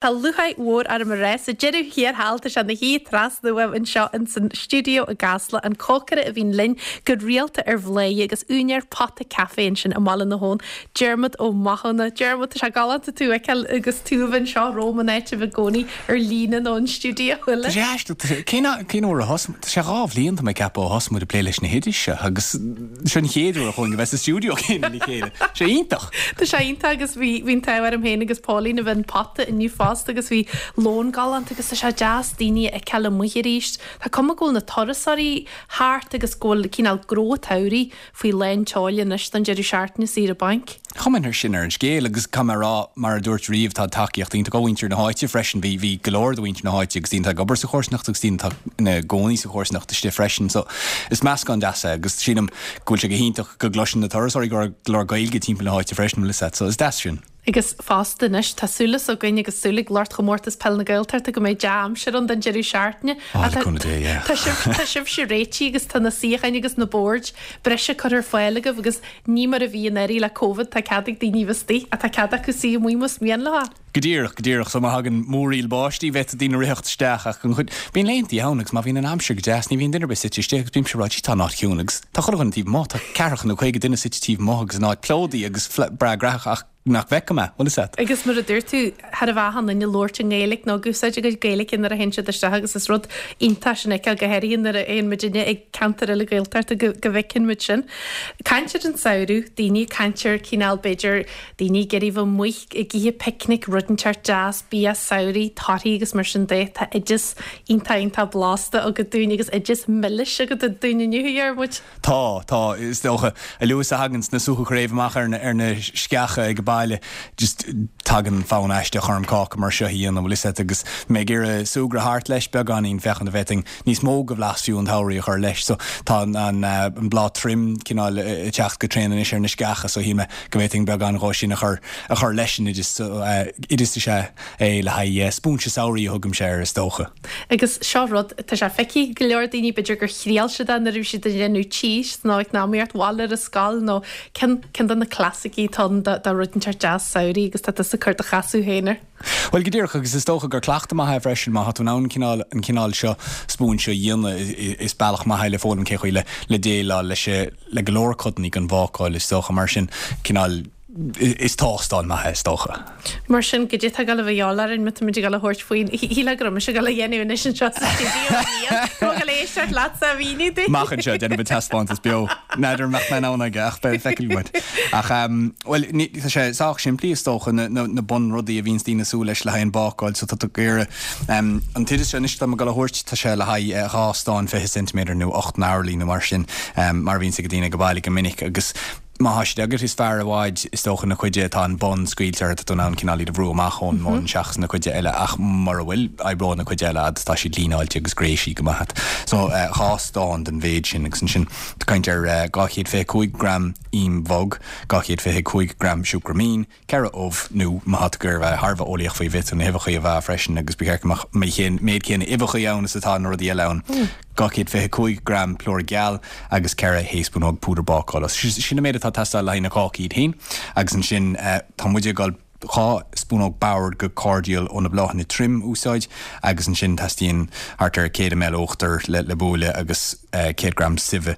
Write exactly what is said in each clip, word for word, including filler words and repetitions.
Tá lúcháir mhór orm a rá sa deireadh thiar thall tá sé ina shuí trasna uaim anseo in san stiúideo i gCasla an cócaire a bhíonn linn go rialta ar Bhladhaire agus úinéir Pota Café ansin i mBaile na hAbhann, Diarmuid Ó Mathúna. Diarmuid, tá sé galánta tú a fheiceáil agus tú a bheith anseo romham in áit a bheith i gcónaí ar líne nó an stiúideo uile. Tá sé aisteach, cén cén uair a thosaigh, tá sé dhá bhliain tá mé ag ceapadh ó thosaigh muid ag plé leis na hoidis seo agus seo an chéad uair a chuaigh a bheith sa stiúideo céanna le chéile. Sé iontach. Tá sé iontach agus bhí bhí an t-ádh orm féin agus Pauline a bheith in Pota inniu fosta agus bhí lón galánta agus tá sé deas daoine a fheiceáil amuigh arís. Tá cuma go bhfuil na turasóirí thart agus go bhfuil cineál gnó an tsamhraidh faoi lán tseoil anois don deireadh seachtaine saoire bainc. Chuma ar sin ar an scéal agus tá mé rá mar a dúirt riamh tá tacaíocht iontach ó mhuintir na háite freisin bhí bhí go leor de mhuintir na háite agus daoine atá ag obair sa chomharsanacht agus daoine atá ina gcónaí sa chomharsanacht istigh freisin so is meascán deas é agus sílim go bhfuil sé go hiontach go gcloiseann na turasóirí go leor Gaeilge timpeall na háite freisin le so is deas sin. Agus fosta anois tá súil againn agus súil ag lucht chomórtas peil na Gaeltachta go mbeidh dea-aimsir ann don deireadh seachtaine. Tá sibhse réitithe agus tá na suíocháin agus na boird breise curtha ar fáil agaibh agus ní mar a bhí anuraidh le Covid tá cead ag daoine bheith istigh tá cead acu suí amuigh más mian leo. Go díreach go díreach so má thagann múraíl báistí bheadh daoine ag ritheacht isteach ach an chuid bíonn laethanta ann agus má bhíonn an aimsir go deas ní bhíonn duine ar bith suite istigh agus bímse ag rá tá an áit ciúin agus tá chuile dhuine taobh amuigh tá ceathracha nó caoga duine suite taobh amuigh agus an áit plódaithe agus breá graitheach ach nach bhfeicim é bhfuil a Agus mar a dúirt tú thar a bheith an duine labhairt i nGaeilge nó ag úsáid a gcuid Gaeilge nuair a théann siad isteach agus is rud iontach sin é go háirithe nuair a théann muidinne ag ceantar eile Gaeltachta go go bhfeiceann muid sin. Caint ar an samhradh, daoine caint ar cineál b'fhéidir daoine ag iarraidh bheith amuigh ag ithe picnic rud inteacht deas bia samhraidh torthaí agus mar sin de tá oideas iontach iontach blasta agat dúinn agus oideas milis agat dúinn inniu a Dhiarmuid. Tá tá is dócha a luaithe a thagann na sútha craobh amach ar na ar na sceacha ag baile just tagann fonn aisteach orm cáca mar seo a dhéanamh bhfuil a fhios agat agus mé ag iarraidh súgradh thart leis beagáinín féachaint an bhféadfainn níos mó de bhlas fiú an tsamhraidh a chur leis so tá an an an bláth troim cineál ag teacht go tréan anois ar na sceacha so shíl mé go bhféadfainn beagán dhó sin a chur a chur leis an oideas so oideas is ea é le haghaidh spúinse samhraidh a thugaimse air is dócha. Agus seo rud tá sé feicthe go leor daoine b'fhéidir gur thriail siad é nuair a bhí siad ag déanamh tís nó ag náíocht bhil ar a scoil nó cinn cinn de na clasaicí atá de rud inteacht deas samhraidh agus tá tusa ag cur do chasadh féin air. Well go díreach agus is dócha gur cleachtadh maith é freisin má tá tú in ann cineál an cineál seo spúinse a dhéanamh is bealach maith é le foghlaim cé chaoi le le déileáil leis le go leor codanna den bhácáil is dócha mar sin cineál is tástáil maith é is dócha. Mar sin go dtí go bh dheálainn mu muid go thabhairt faoin híle go se go dhéanú anois anseo sa stiúideo go éisteacht leatsa a mhíniú dúinn. Amach anseo déanfaidh taispeántas beo N'fheadar mbeadh mé in ann aige ach beidh feicfidh muid. Ach bhuel tá sé sách simplí is dócha na na bunrudaí a bhíonns daoine ag súil leis le haghaidh an bácáil so tá tú ag iarraidh an t-oideas seo anois atá mé ag dul a thabhairt tá sé le haghaidh dhá stán fiche ceintiméadar nó ocht n-orlaí nó mar sin mar a bhíonns ag daoine ag baile go minic agus má tá siad agat is fearr i bhfad is dócha na cuide atá an bun scaoilte orthu tá tú in ann cineál iad a bhrú amach ón mbun seachas na cuide eile ach mura bhfuil oibreoidh na cuide eile fhad tá siad líneáilte agus gréisithe go maith. So dhá stán den mhéid sin agus ansin tá caint ar dhá chéad fiche cúig gram im bhog, dhá chéad fiche cúig gram siúcra mín, ceithre ubh nó má tá tú ag iarraidh bheith thar a bheith eolaíoch faoi bhféadfá na huibheacha a mheá freisin agus ba cheart go mbeadh an méid céanna uibheacha ann is atá na rudaí eile ann. dhá chéad fiche cúig gram plúr geal agus ceithre thaespúnóg púdar bácála. Sin an méid atá ag teastáil le haghaidh na cácaí iad féin agus ansin tá muid ag dul dhá spúnóg boird de cordial ó na bláthanna troim a úsáid agus ansin teastaíonn thart ar céad ml uachtar le le bualadh agus céad gram suibhe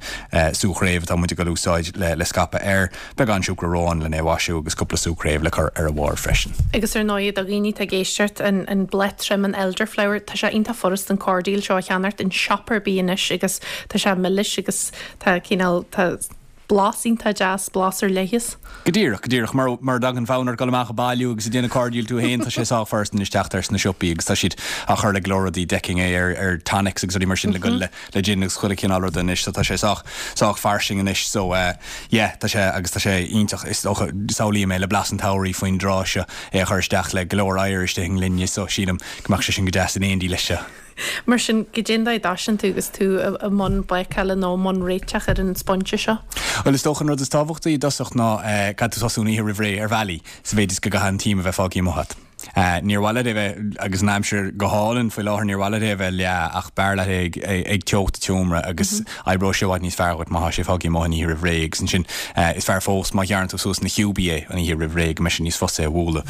sú chraobh atá muid ag dul a úsáid le le scaipeadh air, beagán siúcra róin lena mhaisiú agus cúpla sú craobh le cur ar a bharr freisin. Agus ar ndóigh do dhaoine atá ag éisteacht, an an bláth trom an elderflower, tá sé iontach furast an cordial seo a cheannacht in siopa ar bith anois agus tá sé milis agus tá cineál tá blas iontach deas, blas ar leith as. Go díreach, go díreach. Mar mar a dtagann fonn ort dul amach ag bailiú agus ag déanamh cordial tú féin, tá sé sách furast anois teacht air sna siopaí agus tá siad á chur le go leor rudaí, d'fheicfinn é ar ar tonics agus rudaí mar sin le goil le le gin agus chuile chineál ruda anois so tá sé sách sách fairsing anois so eh yeah tá sé agus tá sé iontach is dócha samhlaím é le blas an tsamhraidh faoin dtráth seo é a chur isteach le go leor oighir istigh i ngloine so sílim go mbeadh sé sin go deas in éindí leis seo. Mar sin goidé an dóigh a dtosaíonn tú agus tú i mbun bácála nó i mbun réiteach ar an spúinse seo? Bhuel is dócha an rud is tábhachtaí i dtosach ná caithfidh tú tosú an oíche roimh ré ar bhealaí sa mhéid is go gcaithfidh an t-im a bheith fágtha amuigh agat. Níor mhaith leat é bheith, agus an aimsir go hálainn faoi láthair, níor mhaith leat é a bheith leá ach b'fhearr leat é ag teocht an tseomra agus oibreoidh sé i bhfad níos fearr dhuit má thá sé fágtha amuigh an oíche roimh ré agus ansin is fearr fós má ghearrann tú suas ina chiúbaí é an oíche roimh ré go mbeidh sé níos fusa é a bhualadh.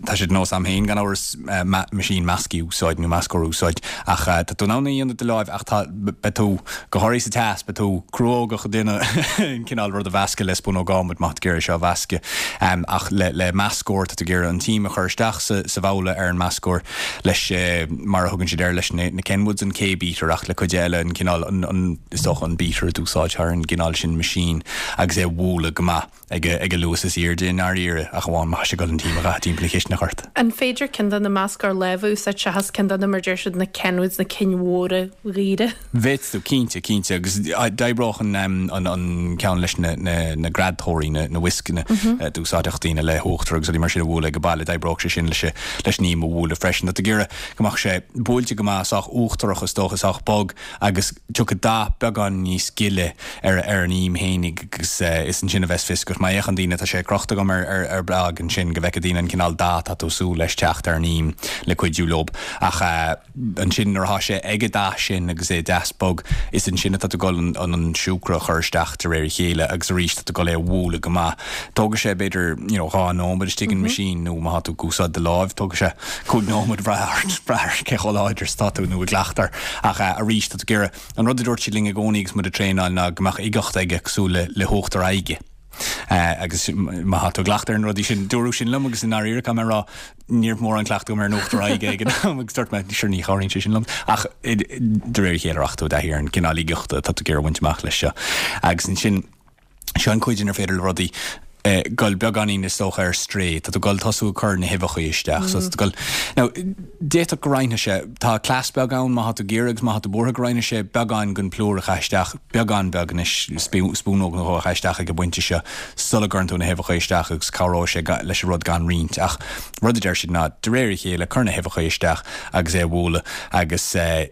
Tá sé de nós a'm féin gan amhras meaisín measctha a úsáid nó meascóir a úsáid ach tá tú in ann é a dhéanamh de láimh ach tá, beidh tú, go háirithe sa teas, beidh tú cruógach ag déanamh an cineál rud a mheascadh le spúnóg adhmaid má tá tú ag iarraidh seo a mheascadh ach le le meascóir tá tú ag iarraidh an t-im a chur isteach sa sa bhabhla ar an meascóir leis mar a thugann siad air leis na na Kenwoods an K-beater ach le cuid eile an cineál an an is dócha an beater a d'úsáidtear ar an gcineál sin machine agus é a bhualadh go maith ag a ag a luas is airde i ndáiríre ach amháin má tá sé ag dul an t-im a chaitheamh timpeall na cisteanach ort. An féidir ceann de na meascóir láimhe a úsáid seachas ceann de na mar deir siad na Kenwoods na cinn mhóra dhaora? Bhféadfadh tú, cinnte, cinnte agus d'oibreodh an an an ceann leis na na na greadtóirí na na whiskanna a d'úsáidfeadh daoine le huachtar agus rudaí mar sin a bhualadh ag an baile, d'oibreodh sé sin leis leis an im a bhualadh freisin. Tá tú ag iarraidh go mbeadh sé buailte go maith sách uachtarach is dócha, sách bog agus tiocfaidh dath beagán níos gile ar ar an im fhéinig agus is ansin a bheas fios agat. Má fhéachann daoine, tá sé crochta agam ar ar ar blag ansin go bhfeicfidh daoine an cineál dath atá tú ag súil leis teacht ar an im le cuidiú leob ach ansin nuair atá sé ag an dath sin agus é deas bog is ansin atá tú ag dul an an an siúcra a chur isteach de réir a chéile agus arís tá tú ag dul é a bhualadh go maith. Tógfaidh sé b'fhéidir you know dhá nóiméad istigh in machine nó má tá tú ag úsáid do láimh tógfaidh sé cúig nóiméad brath ort brath ar cé chomh láidir is atá tú nó ag cleachtadh air ach arís tá tú ag iarraidh an rud a dúirt siad linn i gcónaí agus muid ag traenáil ná go mbeadh uigeacht aige cosúil le le huachtar aghaidhe. Agus má tá tú ag cleachtadh ar na rudaí sin, dúradh sin liom agus i ndáiríre caithfidh mé a rá, ní raibh mórán cleachtadh agam ar an uachtar aghaidhe ag an am agus dúirt mé, sure ní chabhraíonn sé sin liom. Ach de réir a chéile rachaidh tú i dtaithí ar an gcineál uigeachta atá tú ag iarraidh a bhaint amach leis seo. Agus ansin, seo an chuid inar féidir le rudaí dul beagáinín is dócha ar strae, tá tú ag dul tosú ag cur na huibheacha isteach. So tá tú ag dul, now d'fhéadfadh go roinnfeadh sé, tá cleas beag ann má tá tú ag iarraidh agus má tá tú buartha go roinnfeadh sé beagán den plúr a chaith isteach, beagán beag anois, spúnóg nó dhó a chaith isteach ag an bpointe seo sula gcuireann tú na huibheacha isteach agus cabhróidh sé leis an rud gan roinnt. Ach rud a deir siad ná de réir a chéile cuir na huibheacha isteach agus é a bhualadh agus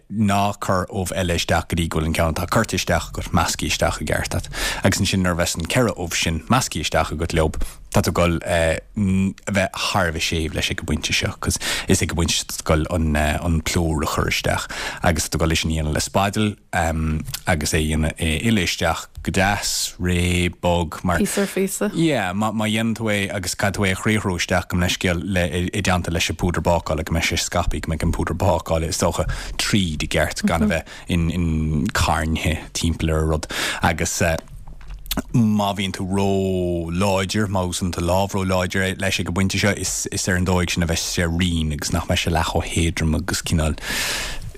ná cuir ubh eile isteach go dtí go bhfuil an ceann atá curtha isteach agat measctha isteach i gceart agat. Agus ansin nuair a bheas an ceithre ubh sin measctha isteach agat leob, tá tú ag dul a bheith thar a bheith séimh leis ag an bpointe seo cos is ag an bpointe seo tá tú ag dul an an plúr a chur isteach agus tá tú ag dul é sin a dhéanamh le spidil agus é a dhéanamh é uile isteach go deas, réidh, bog mar. Píosa ar phíosa. Yeah, má má dhéanann tú é agus caithfidh tú é a chriathrú isteach gabh mo leithscéal le i dteannta leis an púdar bácála go mbeidh sé scaipthe go mbeidh an púdar bácála is dócha tríd i gceart gan a bheith in in carntha timpeall ar an rud agus eh má bhíonn tú ró-láidir, má úsáideann tú lámh ró-láidir leis ag an bpointe seo, is is ar an dóigh sin a bheas sé righin agus nach mbeidh sé leath chomh héadrom agus cineál,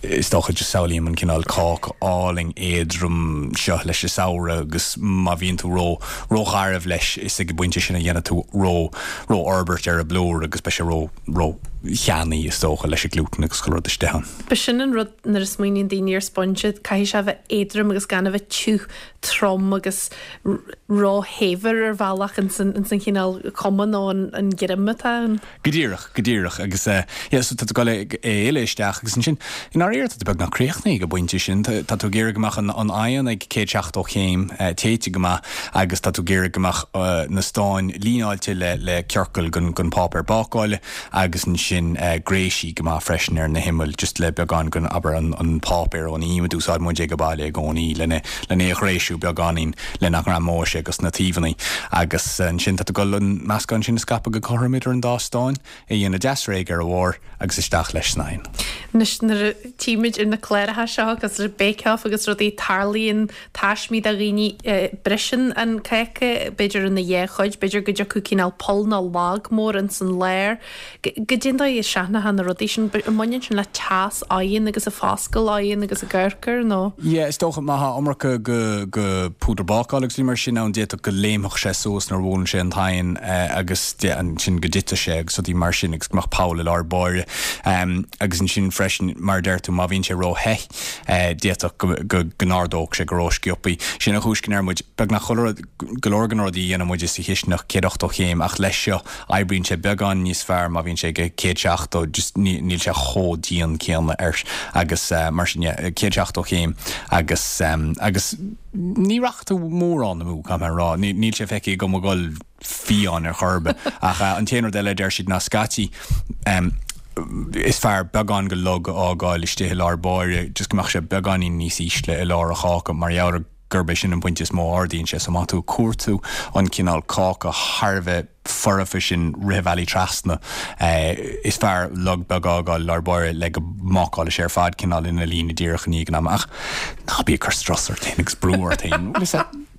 is dócha, just samhlaím an cineál cáca álainn éadrom seo leis an samhradh agus má bhíonn tú ró rógharbh leis, is ag an bpointe sin a dhéanfaidh tú ró rófhorbairt ar an bplúr agus beidh sé ró ró-cheannaí is dócha leis an glútan agus chuile rud istigh ann. B'shin an rud nuair a smaoiníonn daoine ar sponge, caithfidh sé a bheith éadrom agus gan a bheith tiubh trom agus róshaibhir ar bhealach ins an chineál cuma nó an greim atá ann. Go díreach, go díreach agus yeah so tá tú ag dul é uile isteach agus ansin i ndáiríre tá tú beagnach críochnaithe ag an bpointe sin, tá tú ag iarraidh go mbeadh an an oigheann ag céad seachtó chéim téite go maith agus tá tú ag iarraidh go mbeadh na stáin líneáilte le le ciorcal den den pháipéar bácála agus ansin gréisithe go maith freisin ar na himill just le beagán den abair an an páipéar ón im a d'úsáid muid ag baile i gcónaí lena lena é a ghréisiú beagáinín le nach ngreamóidh sé dos na taobhanna agus ansin tá tú ag dul an meascán sin a scaipeadh go cothrom idir an dá stán, é a dhéanamh deas réidh ar a bharr agus isteach leis san oigheann. Anois nuair a tchímid ar na cláracha seo agus ar Bake Off agus rudaí tarlaíonn taismí do dhaoine, briseann an cáca b'fhéidir ina dhá chuid, b'fhéidir go dtiocfadh cineál poll nó lag mór ins an lár. Goidé an dóigh a seachnófá na rudaí sin? An mbaineann sin le teas oighinn agus ag foscadh oighinn agus ag amharc air nó? Yeah, is dócha má thá iomarca go go púdar bácála agus rudaí mar sin ann d'fhéadfadh go léimfeadh sé suas nuair a bhuaileann sé an t-oigheann agus ansin go dtitfeadh sé agus rudaí mar sin agus go mbeadh poll i lár báire. Agus ansin freisin mar a deir tú má bhíonn sé ró-the d'fhéadfadh go go go n-ardódh sé go ró-sciobthaí. Sin an chúis go ndeir muid beagnach chuile rud go leor de na rudaí a dhéanann muid sa chisteanach céad ochtó chéim ach leis seo oibríonn sé beagán níos fearr má bhíonn sé ag céad seachtó just níl sé chomh dian céanna air agus mar sin yeah céad seachtó chéim agus agus ní rachaidh tú mórán amú caithfidh mé a rá níl sé feicthe agam ag dul fiáin ar chor ar bith. Ach an t-aon rud eile a deir siad ná scaití is fearr beagán go log a fhágáil istigh i lár báire, just go mbeadh sé beagáinín níos ísle i lár an cháca mar gheall ar gurb é sin an pointe is mó a ardaíonn sé. So má tá tú ag cuartú an cineál cáca thar a bheith foirfe sin rith an bhealaigh trasna, is fearr log beag a fhágáil i lár báire le go mbácálfaidh sé ar fad cineál ina líne díreach i ndiaidh an ama. Ach ná bí ag cur strus ort féin agus brú ort féin.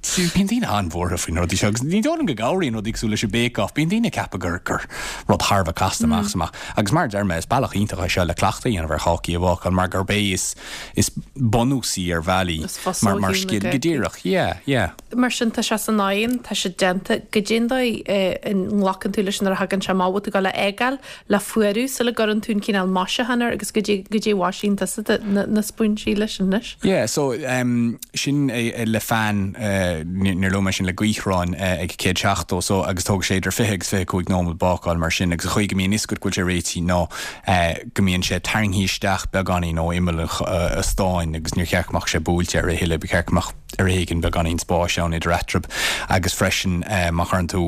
Bíonn daoine an-bhuartha faoi na rudaí seo agus ní dóigh liom go gcabhraíonn rudaí cosúil leis an Bake Off. Bíonn daoine ag ceapadh gur gur rud thar a bheith casta amach is amach. Agus mar a deir mé, is bealach iontach é seo le cleachtadh a dhéanamh ar chácaí a bhácáil mar gurb é is is bunúsaí ar bhealaí mar mar scil. Go díreach, yeah, yeah. Mar sin tá sé san oigheann, tá sé déanta. Goidé an dóigh a nglacann tú leis nuair a thagann sé amach, bhfuil tú ag dul a fhágáil le fuarú sula gcuireann tú an cineál maisiúchán air agus goidé goidé a mhaisíonn tusa na spúinsí leis anois? Yeah, so um, sin é le fan níor luaigh mé sin le gaothrán ag céad seachtó so agus tógfaidh sé idir fiche agus fiche cúig nóiméad bácáil mar sin agus an chaoi go mbíonn fhios agat go bhfuil sé réitithe ná go mbíonn sé tarraingthe isteach beagáinín ó imeall an stáin agus níor cheart go mbeadh sé buailte air a thuilleadh, ba cheart go mbeadh ar éigean beagáinín spáis ann idir eatarthu agus freisin má chuireann tú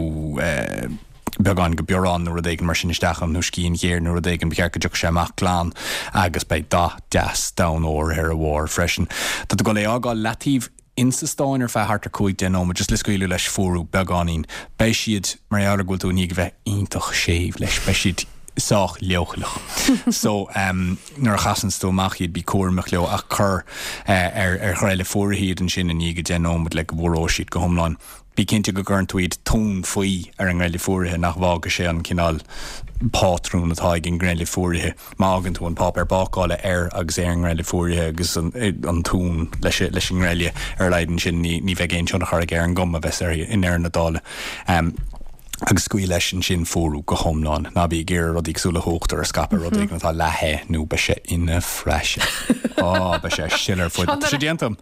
beagán go biorán nó rud éigin mar sin isteach ann nó scian ghéar nó rud éigin, ba cheart go dtiocfadh sé amach glan agus beidh dath deas donn óir ar a bharr freisin. Tá tú ag dul é a fhágáil leataobh insa stán ar feadh thart ar cúig deich nóiméad, just le scaoileadh leis fuarú beagáinín. Beidh siad, mar gheall ar go bhfuil tú i ndiaidh a bheith iontach séimh leis, beidh siad sách leochaileach. So, um, nuair a chasanns tú amach iad, bí cúramach leo ach cuir uh, ar, ar ghreille fuaraithe iad ansin i ndiaidh deich nóiméad le go bhfuaróidh siad go hiomlán. Bí cinnte go gcuireann tú iad tóin faoi ar an ngreille fuaraithe, nach bhfágfaidh sé an cineál pátrún atá ag an ngreille fuaraithe. Má fhágann tú an páipéar bácála air agus é ar an ngreille fuaraithe agus an tóin leis leis an ngreille ar a laghad ansin ní ní bheidh aon tionchar aige ar an gcuma a bheas air i ndeireadh na dála. Agus scaoil leis ansin fuarú go hiomlán. Ná bí ag iarraidh rudaí cosúil le huachtar a scaipeadh rud éigin atá leath-the nó beidh sé ina phraiseach. Á, beidh sé ag sileadh ar fud. Tá sé déanta agam.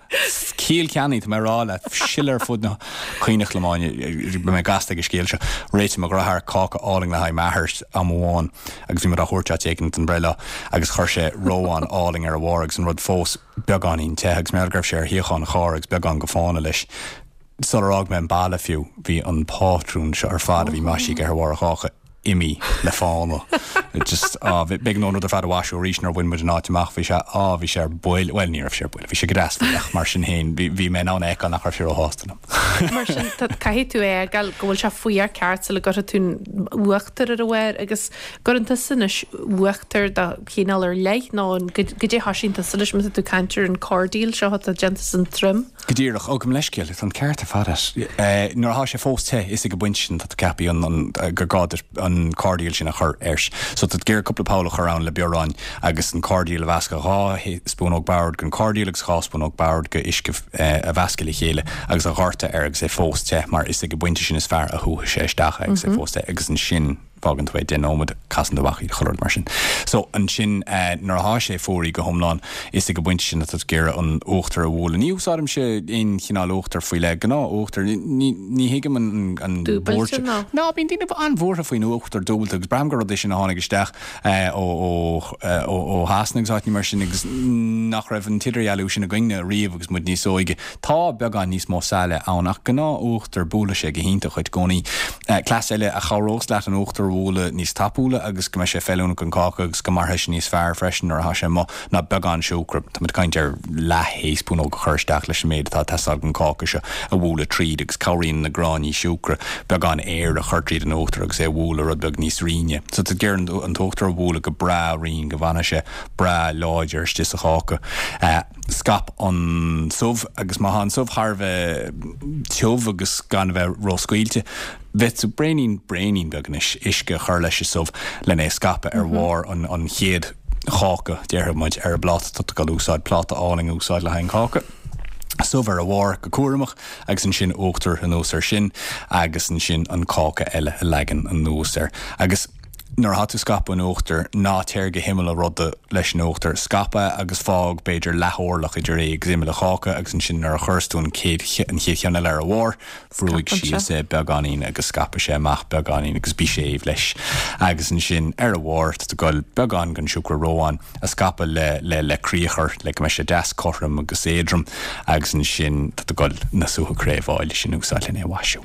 Ciall ceannaí, tá mé ag rá leat, sileadh ar fud na caonach lomáine. Beidh mé gasta ag an scéal seo. Réitigh mo dheartháir cáca álainn le haghaidh m'athair am amháin agus bhí muid á thabhairt áit éigin don bhreithlá agus chuir sé reoán álainn ar a bharr agus an rud fós beagáinín te agus mar go raibh sé ar shuíochán an chairr agus beagán go fána leis. Sular fhág mé an baile fiú, bhí an pátrún seo ar fad a bhí maisithe ar bharr an cháca imithe le fána. Just, á, b'éigean dom an rud ar fad a mhaisiú arís nuair a bhain muid an áit amach. Bhí sé, á, bhí sé ar buile, bhuel, ní raibh sé ar buile, bhí sé go deas faoi ach mar sin féin, bhí, bhí mé in ann a fheiceáil nach raibh sé róshásta liom. Mar sin, tá, caithfidh tú é a fhágáil go bhfuil sé fuar ceart sula gcuirfidh tú an uachtar ar a bharr agus gcuireann tusa anois uachtar de chineál ar leith nó an, goidé a thoisíonn tusa leis má tá tú ag caint ar an cordial seo atá déanta san troim? Go díreach. Ó, gabh mo leithscéal, tá an ceart ar fad agat. Nuair atá sé fós te, is ag an bpointe sin tá tú ceaptha an, an, gur gá duit an cordial sin a chur air. So tá tú ag iarraidh cúpla poll a chur ann le bioráin agus an cordial a mheascadh, dhá spúnóg boird den cordial agus dhá spúnóg boird de uisce a mheascadh le chéile agus a dhoirteadh air agus é fós te mar is ag an bpointe sin is fearr a shúfaidh sé isteach é agus é fós te agus ansin fágann tú é deich nóiméad, casann tú amach iad, chuile rud mar sin. So, ansin nuair atá sé fuaraithe go hiomlán, is ag an bpointe sin atá tú ag iarraidh an uachtar a bhualadh. Ní úsáidimse aon chineál uachtair faoi leith, gnáth uachtar. Ní, ní thuigim an, an Dúbailte buairt. nó? Ná, bíonn daoine an-bhuartha faoin uachtar dúbailte agus braithim gur rud é sin a tháinig isteach ó, ó, ó, ó Shasana agus áiteanna mar sin agus nach raibh an t-idirdhealú sin againne riamh agus muid níos óige. Tá beagán níos mó saille ann ach gnáth uachtar, buailfidh sé go hiontach dhuit i gcónaí. Cleas eile a chabhrós leat an uachtar a bhualadh níos tapúla agus go mbeidh sé feiliúnach don cháca agus go mairfidh sé níos fearr freisin nuair atá sé amuigh ná beagán siúcra, tá muid ag caint ar leath thaespúnóg a chur isteach leis an méid atá ag teastáil don cháca seo a bhualadh tríd agus cabhraíonn na gráinní siúcra beagán aeir a chur tríd an uachtar agus é a bhualadh rud beag níos righne. So tá tú ag iarraidh an t-uachtar a bhualadh go breá righin go bhfanfaidh sé breá láidir istigh sa cháca. Scaip an subh agus má tá an subh thar a bheith tiubh agus gan a bheith ró-scaoilte, bheadh tú braonín, braonín beag anois, uisce a chur leis an subh lena é a scaipeadh ar bharr an, an chéad cháca, déarfaidh muid, ar an bpláta. Tá tú ag dul úsáid pláta álainn a úsáid le haghaidh an cháca. Subh ar a bharr go cúramach agus ansin uachtar anuas air sin agus ansin an cáca eile a leagan anuas air. Agus. Nuair atá tú ag scaipeadh an uachtair, ná téir go himeall an ruda leis an uachtar. Scaip é agus fág b'fhéidir leath-orlach idir é agus imeall an cháca agus ansin nuair a chuireas tú an chéad an chéad cheann eile ar a bharr, brúigh síos é beagáinín agus scaipfidh sé amach beagáinín agus bí séimh leis. Agus ansin ar a bharr tá tú ag goil beagán den siúcra reoite a scaipeadh le le le criathar le go mbeidh sé deas cothrom agus éadrom agus ansin tá tú ag goil na sútha craobh áille sin a úsáid lena mhaisiú.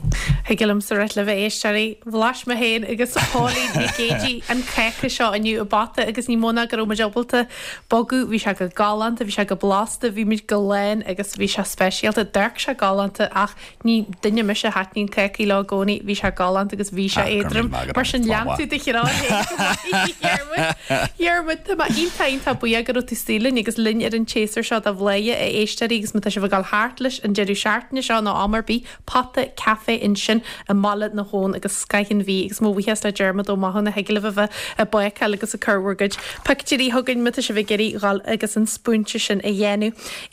Thig liomsa rá libh a éisteoirí, bhlais mé féin agus Póilín Nic Géidigh an cáca seo inniu i bPota agus ní mó ná go raibh muid ábalta bogadh, bhí sé go galánta, bhí sé go blasta, bhí muid go lán agus bhí sé speisialta, d'amharc sé galánta ach ní duine mise a thaitníonn cácaí leo i gcónaí, bhí sé galánta agus bhí sé éadrom. Mar sin lean tú do threoir féin go maith, a Dhiarmuid. Dhiarmuid, tá mé iontach iontach buíoch go raibh tú istigh linn agus linn ar an tséasúr seo de Bhladhaire a éisteoirí agus má tá sibh ag dul thart leis an deireadh seachtaine seo nó am ar bith, Pota Café ansin i mBaile na hAbhann agus scoth an bhia agus mo bhuíochas le Diarmuid Ó Mathúna thig libh a bheith ag bácáil agus ag cur bhur gcuid pictiúirí chugainn má tá sibh ag iarraidh dhul agus an spúinse sin a dhéanamh.